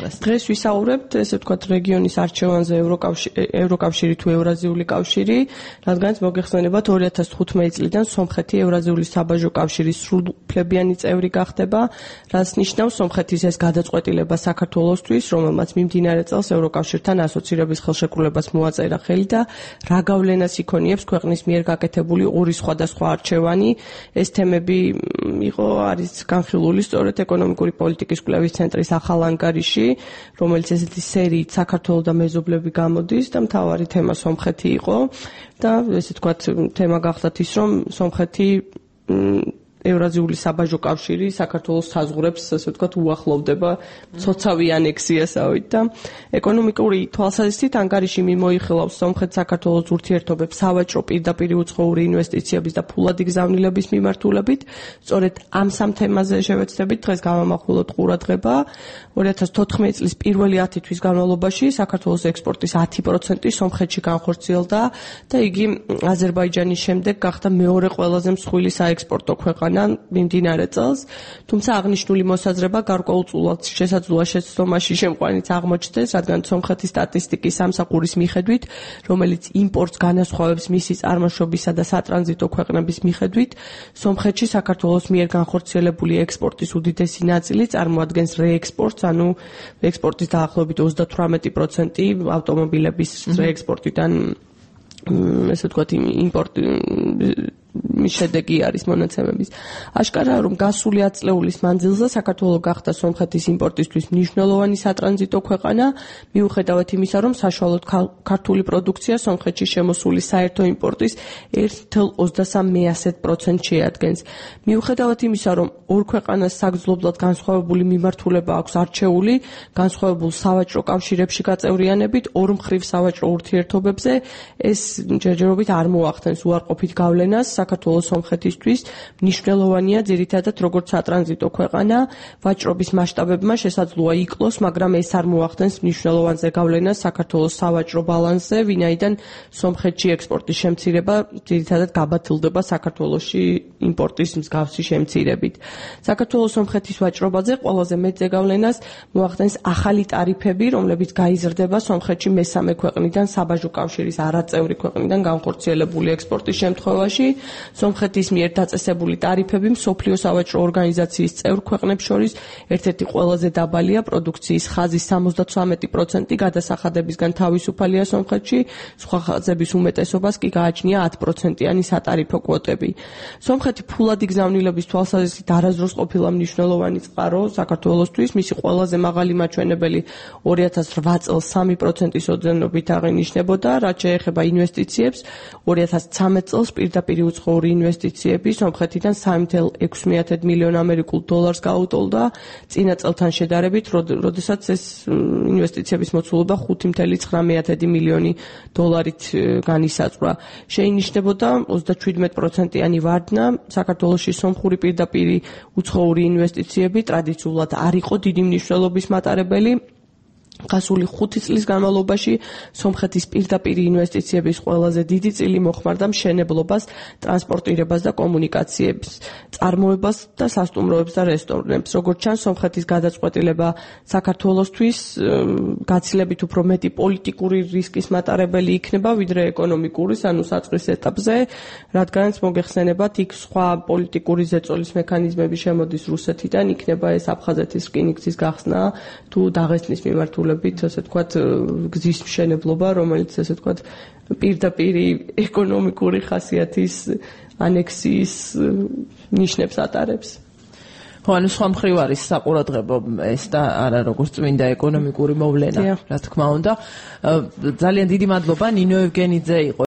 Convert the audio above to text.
დღეს ვისაუბრებთ, ესე ვთქვათ, რეგიონის არჩევანზე ევროკავშირი თუ ევრაზიული კავშირი, რადგანაც მოგეხსენებათ 2015 წლიდან სომხეთი ევრაზიული საბაჟო კავშირის სრულუფლებიანი წევრი გახდება, რაც ნიშნავს სომხეთის ეს გადაწყვეტილება საქართველოსთვის, რომელმაც მიმდინარე წელს ევროკავშირთან ასოცირების ხელშეკრულებას მოაწერა ხელი და რა გავლენას იქონიებს ქვეყნის მიერ გაკეთებული ორი სხვადასხვა არჩევანი. ეს თემები არის განხილული სწორედ ეკონომიკური პოლიტიკის კვლევის ცენტრის ახალ ანგარიში, რომელიც ესეთი სერიით საქართველოს და მეზობლები გამოდის და მთავარი თემა სომხეთი იყო და ესე ვთქვათ, თემა გახდათ ის, რომ სომხეთი ევრაზიული საბაჟო კავშირი საქართველოს საზღვრებს, ასე ვთქვათ, უახლოვდება ცოცავი ანექსიასავით და ეკონომიკური თვალსაზრისით ანგარიში მიმოიხილავს სომხეთ-საქართველოს ურთიერთობებს სავაჭრო პირდაპირ უცხოური ინვესტიციების და ფულადი გზავნილების მიმართულებით. სწორედ ამ სამ თემაზე შევეცდებით დღეს გამამახვილოთ ყურადღება. 2014 წლის პირველი 10 თვის განმავლობაში საქართველოს ექსპორტის 10% სომხეთში განხორციელდა და იგი აზერბაიჯანის შემდეგ გახდა მეორე ყველაზე მსხვილი საექსპორტო ქვეყანა მიმდინარე წელს, თუმცა აღნიშნული მოსაზრება გარკვეულწულად შესაძლოა შეცდომაში შემყვანიც აღმოჩნდეს, რადგან სომხეთის სტატისტიკის სამსახურის მიხედვით, რომელიც იმპორტს განასხვავებს მისი წარმოშობისა და სატრანზიტო ქვეყნების მიხედვით, სომხეთში საქართველოს მიერ განხორციელებული ექსპორტის უდიდესი ნაწილი წარმოადგენს რეექსპორტს, ანუ ექსპორტის დაახლოებით 38% ავტომობილების რეექსპორტიდან ესე ვთქვათ, იმპორტი შედეგი არის მონაცემების. აშკარაა, რომ გასული ათწლეულის მანძილზე საქართველოს გახდა სომხეთის იმპორტისთვის მნიშვნელოვანი სატრანზიტო ქვეყანა, მიუხედავად იმისა, რომ საშუალოდ ქართული პროდუქცია სომხეთში შემოსული საერთო იმპორტის 1,23% შეადგენს. მიუხედავად იმისა, რომ ორ ქვეყანას საგრძნობლად განსხვავებული მიმართულება აქვს არჩეული, განსხვავებულ სავაჭრო კავშირებში გაწევრიანებით, ორ მხრივ სავაჭრო ურთიერთობებზე ეს ჯერჯერობით არ მოახდენს უარყოფით გავლენას საქართველოს სომხეთისთვის. მნიშვნელოვანია ძირითადად როგორც სატრანზიტო ქვეყანა, ვაჭრობის მასშტაბებმა შესაძლოა იკლოს, მაგრამ ეს არ მოახდენს მნიშვნელოვანზე გავლენას საქართველოს სავაჭრო ბალანსზე, ვინაიდან სომხეთში ექსპორტის შემცირება ძირითადად გაბათილდება საქართველოში იმპორტის მსგავსი შემცირებით. საქართველოს სომხეთის ვაჭრობაზე ყველაზე მეტზე გავლენას მოახდენს ახალი ტარიფები, რომლებიც გაიზრდება სომხეთში მესამე ქვეყნიდან საბაჟო კავშირის არაწევრი ქვეყნიდან განხორციელებული ექსპორტის შემთხვევაში. სომხეთის მიერ დაწესებული ტარიფები მსოფლიო სავაჭრო ორგანიზაციის წევრ ქვეყნებს შორის ერთ-ერთი ყველაზე დაბალია, პროდუქციის ხაზის 73% გადასახადებისგან თავისუფალია სომხეთში, სხვა ხაზების უმეტესობას კი გააჩნია 10%-იანი სატარიფო კვოტები. სომხეთი ფულადი გზავნილების თვალსაზრისით არასდროს ყოფილა მნიშვნელოვანი წყარო საქართველოსთვის, მისი ყველაზე მაღალი მაჩვენებელი 2008 წელს 3%-ის ოდენობით აღინიშნებოდა, რაც შეეხება ინვესტიციებს, 2013 წელს პირდაპირ უცხოური ინვესტიციები სომხეთიდან 3,6 მილიონ ამერიკულ დოლარს გაუტოლდა, წინა წელთან შედარებით, როდესაც ეს ინვესტიციების მოცულობა 5,9 მილიონი დოლარით განისაზღვრა. შეინიშნებოდა 37%-იანი ვარდნა. საქართველოში სომხური პირდაპირ უცხოური ინვესტიციები ტრადიციულად არ იყო დიდი მნიშვნელობის მატარებელი. გასული 5 წლის განმავლობაში სომხეთის პირდაპირ ინვესტიციების ყველაზე დიდი წილი მოხმარდა მშენებლობას, ტრანსპორტირებას და კომუნიკაციებს, წარმოებას და სასტუმროებს და რესტორნებს. როგორც ჩანს, სომხეთის გადაწყვეტილება საქართველოსთვის გაცილებით უფრო მეტი პოლიტიკური რისკის მატარებელი იქნება, ვიდრე ეკონომიკური, ანუ საწყის ეტაპზე, რადგანაც მოგეხსენებათ, იქ სხვა პოლიტიკური ზეწოლის მექანიზმები შემოდის რუსეთიდან, იქნება ეს აფხაზეთის რკინიგზის გახსნა თუ დაღესტნის მიმართულებით, ასე ვთქვათ, გზის მშენებლობა, რომელიც ასე ვთქვათ, პირდაპირ ეკონომიკური ხასიათის ანექსიის ნიშნებს ატარებს. ანუ სხვა მხრივ არის საყურადღებო ეს და არა როგორც წმინდა ეკონომიკური მოვლენა, რა თქმა უნდა. ძალიან დიდი მადლობა, ნინო ევგენიძე იყო